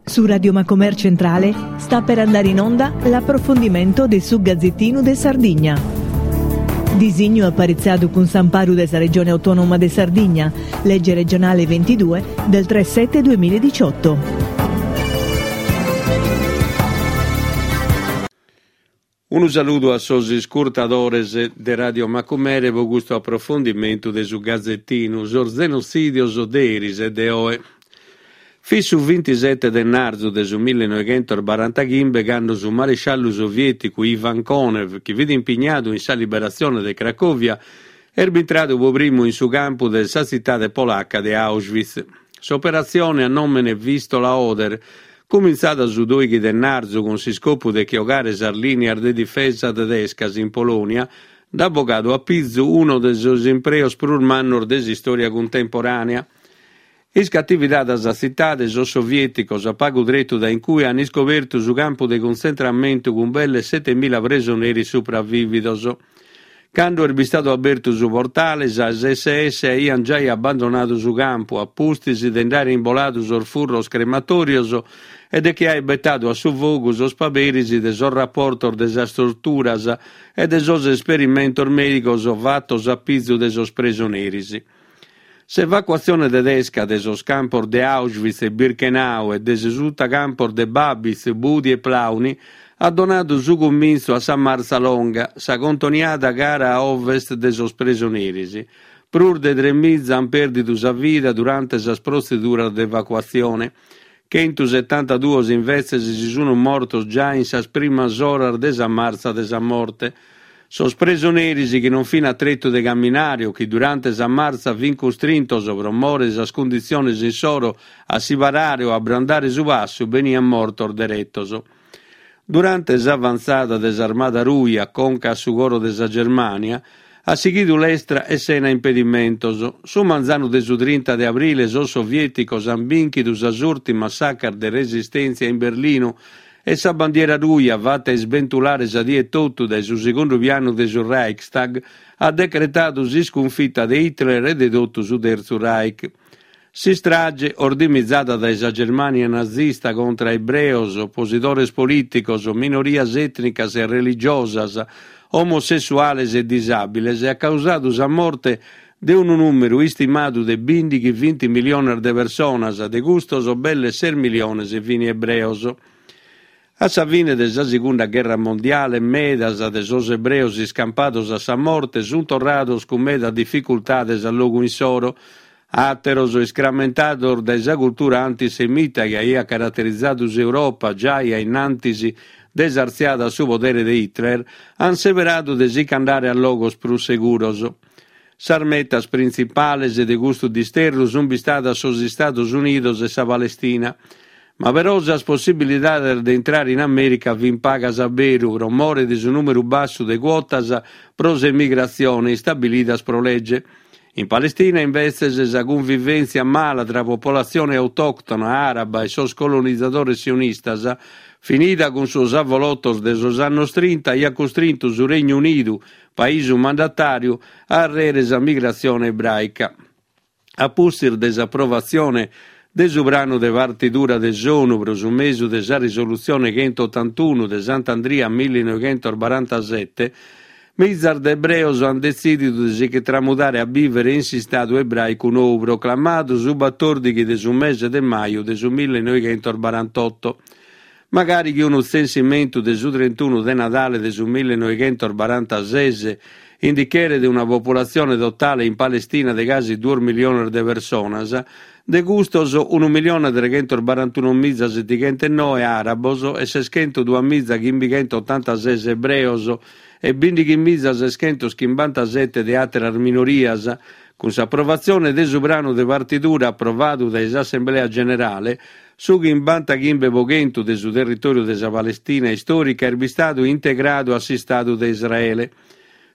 Su Radio Macomer Centrale sta per andare in onda l'approfondimento de su Gazzettinu de Sardigna. Disignu aparitzadu cun s'amparu de sa Regione Autonoma de Sardigna, legge regionale 22 del 3 7 2018. Unu saludu a sos iscurtadores de Radio Macumere pro custu aprofondimentu de su Gazetinu, sos zenotzìdios de eris e de oe. Fit su vintisete de ennarzu de su millenoighentos-barantachimbe cando su maresciallu sovièticu Ivan Konev, chi fit impignadu in sa liberatzione de Cracòvia, est bintradu pro primu in su campu de sa tzitade polaca de Auschwitz. S'operatzione a nòmene Vistola-Oder Cumintzada su doighi de ennarzu cun s'iscopu de che 'ogare sas lìnias de difesa tedescas in Polònia, nd'at bogadu a pizu unu de sos impreos prus mannos de s'istòria cuntemporànea. Iscatividada sa tzitade, sos sovièticos, a pagu tretu dae in cue, an iscobertu su campu de cuntzentramentu cun belle setemila presoneris supravìvidos. Cando est bistadu abertu su portale, sas SS aiant giai abbandonadu su campu, a pustis de nd'àere imboladu sos furros crematòrios e de che àere betadu a su fogu sos paberis de sos raportos de sas torturas e de sos esperimentos mèdigos fatos a pizu de sos presoneris. S'evacuatzione tedesca de sos campos de Auschwitz e Birkenau e de sos sutacampos de Babitz, Budi e Plauni at donadu su cumintzu a sa Martza Longa, sa contoniada cara a ovest de sos presoneris. Prus de tremiza ant pèrdidu sa vida durante sas protzeduras de evacuatzione. Chentusetantaduos invetzes si sunt mortos giai in sas primas oras de sa martza de sa morte. Sos presoneris chi non fin a tretu de caminare o chi durante sa martza fin custrintos pro more de sas cunditziones insoro a si parare o a abrandare su passu beniant mortos deretos. Durante s'avantzada de s'Armada Ruja conca a su coro de sa Germània, at sighidu lestra e sena impedimentos. Su manzanu de su trinta de abrile sos sovièticos ant bìnchidu sas ùrtimas sacas de resistèntzia in Berlinu e sa bandiera ruja, fata isbentulare sa die totu dae su segundu pianu de su Reichstag, at decretadu s'iscunfita de Hitler e de totu su Tertzu Reich. S'istrage, ordimizada dae sa Germània nazista contra ebreos, oposidores polìticos, minorias ètnicas e religiosas, omosessuales e disàbiles, at causadu sa morte de unu nùmeru istimadu de bìndighi-vinti miliones de personas, de custos belle ses miliones fin ebreos. A sa fine de sa Segunda Gherra Mondiale medas de sos ebreos iscampados a sa morte sunt torrados cun meda dificultades a logu insoro, àteros, iscramentados dae sa cultura antisemita chi aiat caraterizadu s'Europa giai a innantis de s'artziada a su podere de Hitler, ant seberadu de si ch'andare a logos prus seguros. Sas metas printzipales de custu disterru sunt bistadas sos Istados Unidos e sa Palestina. Ma però sas possibilidades de intrare in Amèrica fint pagas a beru pro more de su nùmeru bassu de cuotas pro s'emigratzione istabilidas pro lege. In Palestina, imbetzes, sa cunvivèntzia mala tra popolatzione autòctona àraba e sos colonizadores sionistas, finida cun sos avolotos de sos annos trinta, aiat custrintu su Regnu Unidu, paisu mandatàriu, a arrere sa migratzione ebràica. A pustis de s'aprovatzione de su pranu de partidura de s'ONU pro su mesu de sa risolutzione chentotantunu de Sant'Andria millinoighentosbarantasete, mizas de ebreos ant detzìdidu de si che tramudare a bìvere in s'Istadu ebràicu nou proclamadu su batòrdighi de su mese de maju de su millinoighentosbarantotto. Magari chi unu tzensimentu de su trentunu de Nadale de su millinoighentosbarantases indicheret una populatzione totale in Palestina de casi duos miliones de personas, de custos unu milione tregentosbarantunomiza setighentonoe àrabos e seschentoduamiza chimbighentootantases ebreos e bindighimiza seschentoschimbantasete de àteras minorias, cun s'aprovatzione de su pranu de partidura aprovadu dae s'Assemblea Generale, Su chimbantachimbe po chentu de su territòriu de sa Palestina istòrica est bistadu integradu a s'Istadu de Israele.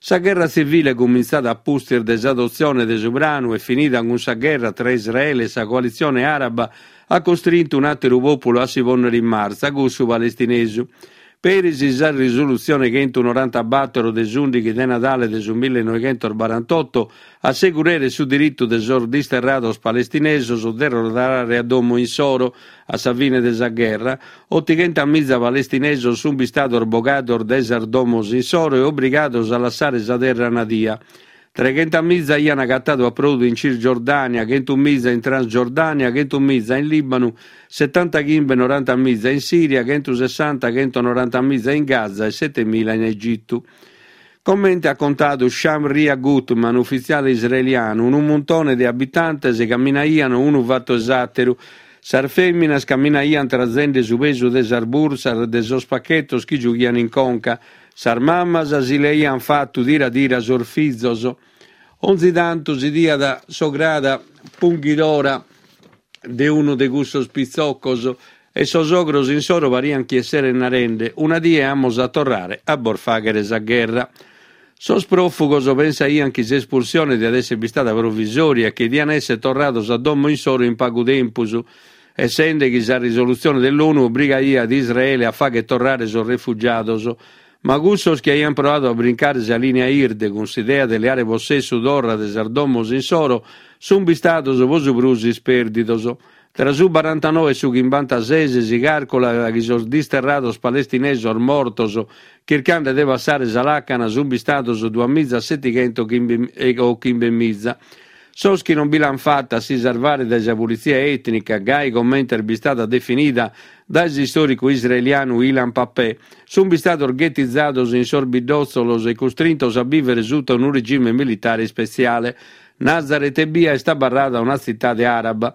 Sa gherra tzivile cumintzada a pustis de s'adotzione de su pranu e finida cun sa gherra tra Israele e sa coalitzione àraba at costrintu un'àteru pòpulu a si pònnere in martza, cussu palestinesu. Peri si sa risolutzione chentunorantabattoro de s'ùndighi de Nadale de su millenoighentosbarantotto assegureret su diritu de sos disterrados palestinesos de torrare a domo insoro a sa fine de sa gherra, otighentamiza palestinesos sunt bistados bogados dae sas domos insoro e obrigados a lassare sa terra nadia. Treghentamiza aiant agatadu aprodu in Cisgiordània, chentumiza in Transgiordània, chentumiza in Lìbanu, setantachimbe norantamiza in Sìria, chentusessanta chentonorantamiza in Gaza e setemila in Egitu. Comente at contadu Shamria Gutman, ufitziale israelianu, unu muntone de abitantes caminaiant unu fatu 'e s'àteru. Sas fèminas caminaiant trazende su pesu de sas bursas de sos pachetos chi giughiant in conca, Sas mamas si leaiant fatu tira tira sos fizos. Onzi tantu si 'idiat s'ograda punghidora de unu de cussos pitzocos e sos ogros insoro pariant chi esserent narende, una die amus a torrare a bos fàghere sa gherra. Sos pròfugos pensaiant chi s'espulsione diat èssere bistada provisòria e chi diant èssere torrados a domo insoro in pagu tempus, essende chi sa risolutzione de l'ONU obrigaiat Israele a fagher torrare sos refugiados, ma cussos chi aiant proadu a brincare sa lìnia 'irde cun s'idea de leare possessu torra de sas domos insoro sunt bistados pro su prus ispèrdidos. Tra su barantanoe e su chimbantases si càrculat chi sos disterrados palestinesos mortos chircande de passare sa làcana sunt bistados duamizasetighentos o chimbemiza. Sos chi non bi l'ant fata a si sarvare dae sa pulitzia ètnica, gai comente est bistada definida dae s'istòricu israelianu Ilan Pappé, sunt bistados ghetizados in sos biddòtzolos e custrintos a bìvere suta unu regime militare ispetziale. Nazaret ebbia est abarrada una tzitade àraba.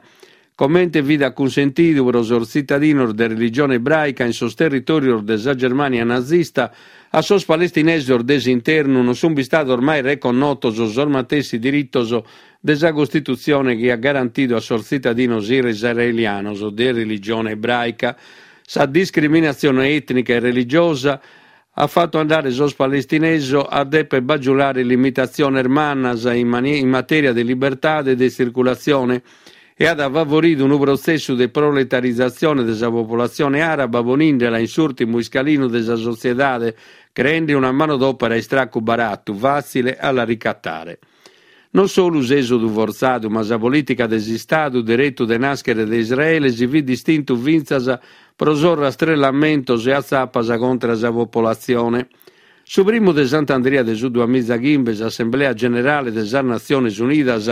Comente fit acunsentidu pro sos tzitadinos de religione ebràica in sos territòrios de sa Germània nazista, a sos palestinesos de s'internu non sunt bistados mai reconnotos sos matessi diritos de sa Costitutzione chi at garantidu a sos tzitadinos israelianos de religione ebràica. Sa discriminatzione ètnica e religiosa at fatu andare sos palestinesos a deper bagiulare limitatziones mannas in matèria de libertade de tzirculatzione e at favoridu unu protzessu de proletarizatzione de sa populatzione àraba ponindela in s'ùrtimu iscalinu de sa sotziedade, creende una manodòpera a istracu baratu, fàtzile a la ricatare. Non solu s'èsodu fortzadu, ma sa polìtica de s'Istadu deretu de nàschere de Israele si fit distintu fintzas pro sos rastrellamentos e atzapas contra sa popolatzione. Su primu de Sant'Andria de su duamizachimbe s'Assemblea Generale de sas Natziones Unidas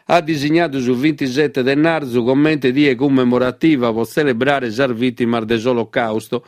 at disignadu su vintisete de narzu comente die cummemorativa pro tzelebrare sas vìtimas de s'Olocàusto.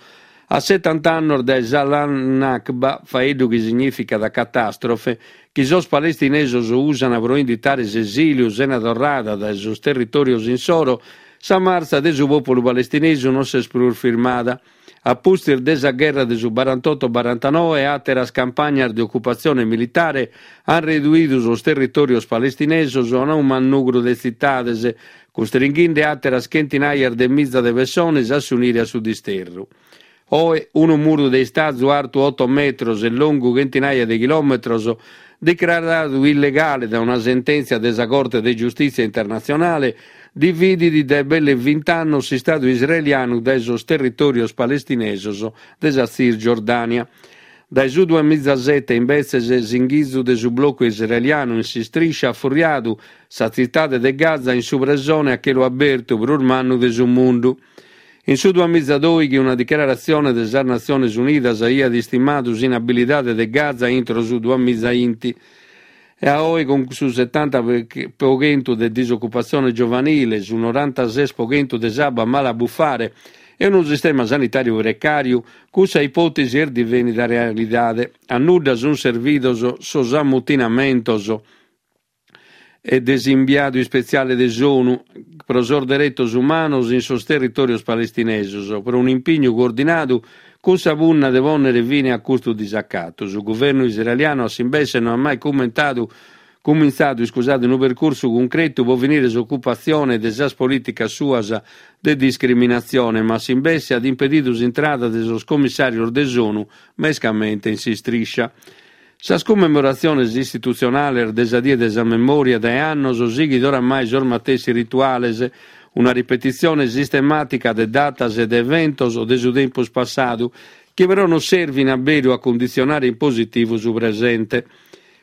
A setant'annos dae sa Nakba, faeddu chi signìficat catàstrofe, chi sos palestinesos usant pro inditare s'esìliu sena torrada dae sos territòrios insoro, sa martza de su pòpulu palestinesu non s'est prus firmada. A pustis de sa gherra de su barantoto-barantanoe, àteras campagnas de ocupatzione militare ant reduidu sos territòrios palestinesos a unu mannugru de tzitades, custringhende àteras chentinajas de miza de pessones a s'unire a su disterru. Oe, unu muru de istazu artu oto metros e longu chentinaja de chilòmetros, decraradu illegale dae una sentèntzia de sa Corte de Giustìtzia Internatzionale, dividit dae belle vint'annos s'Istadu israelianu dae sos territòrios palestinesos de sa Tzisgiordània. Dae su duamizasete, imbetzes, s'inghitzu de su blocu israelianu in s'istriscia at furriadu sa tzitade de Gaza in su presone a chelu abertu prus mannu de su mundu. In su duamizadoighi una dichiaratzione de sas Natziones Unidas aiat istimadu s'inabilidade de Gaza intro su duamizainti. E a oe cun su setanta pro chentu de disocupatzione giovanile, su norantases pro chentu de s'abba mala a bufare e unu sistema sanitàriu precàriu, cussa ipòtesi est divenida realidade. A nudda sunt servidos sos ammutinamentos e de s'imbiadu ispetziale de s'ONU pro sos deretos umanos in sos territòrios palestinesos pro un'impignu coordinadu cun sa punna de pònnere fine a custu disacatu. Su guvernu israelianu a s'imbesse no at mai cumentadu cumintzadu iscusade unu percursu cuncretu pro finire s'ocupatzione de sas polìticas suas de discriminatzione, ma a s'imbesse at impedidu s'intrada de sos commissàrios de s'ONU, mescamente in s'istriscia. Sas cummemoratziones istitutzionales de sa Die de sa Memòria dae annos sighit oramai sos matessi rituales, una ripetitzione sistemàtica de datas e de eventos de su tempus passadu. chi però non servin a beru a cunditzionare in positivu su presente,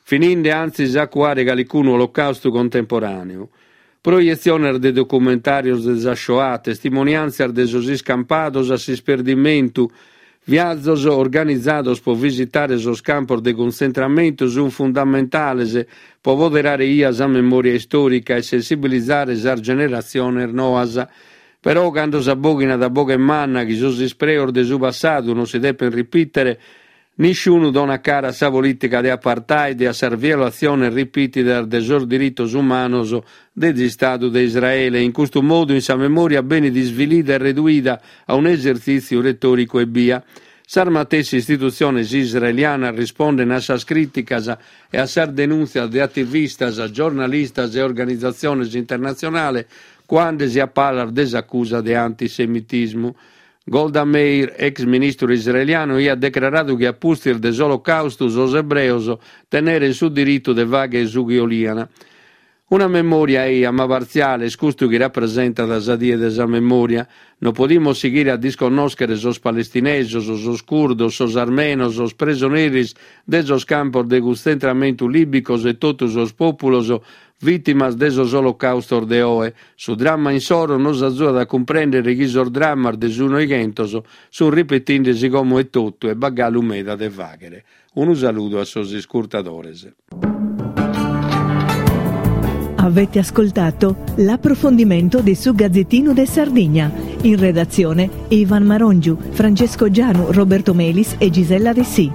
fininde antzis a cuare calicunu olocaustu contemporàneu. Proietziones de documentàrios de sa Shoah, testimoniàntzias de sos iscampados a s'isperdimentu, viazos organizados pro visitare sos campos de cuntzentramentu sunt fundamentales pro poderare 'ia sa memòria istòrica e sensibilizare sas generatziones noas. Però cando s'abòghinat a boghe manna chi sos ispreos de su passadu non si depent ripìtere, Nisciunu donat cara a sa polìtica de apartheid e a sas violatziones ripìtidas de sos diritos umanos de s'Istadu de Israele. In custu modu in sa memòria benit isvilida e reduida a un'esertzìtziu retòricu ebbia. Sas matessi istitutziones israelianas rispondent a sas crìticas e a sas denùntzias de ativistas, giornalistas e organizatziones internatzionales cuande-si a palas de s'acusa de antisemitismu. Golda Meir, ex ministru israelianu, aiat decraradu chi a pustis de s'Olocaustu sos ebreos tennerent su diritu de fàghere su chi 'oliant. Una memòria eja, ma partziale, est custu chi rapresentat sa Die de sa Memòria. Non podimus sighire a disconnòschere sos palestinesos, sos curdos, sos armenos, sos presoneris de sos campos de cuntzentramentu lìbicos e totu sos pòpulos Vìtimas de sos olocaustos de oe, su dramma insoro nos azuat a cumprèndere chi sos drammas de su Noighentos sunt ripetinde-si como etotu e b'at galu meda de fàghere. Unu saludu a sos iscurtadores. Avete ascoltato l'approfondimento de su Gazzettino de Sardigna. In redazione Ivan Marongiu, Francesco Gianu, Roberto Melis e Gisella Dessì.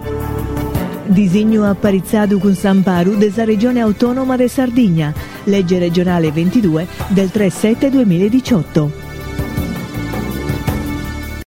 Disignu aparitzadu cun s'amparu de sa Regione Autònoma de Sardigna, Legge regionale 22 del 3 7 2018.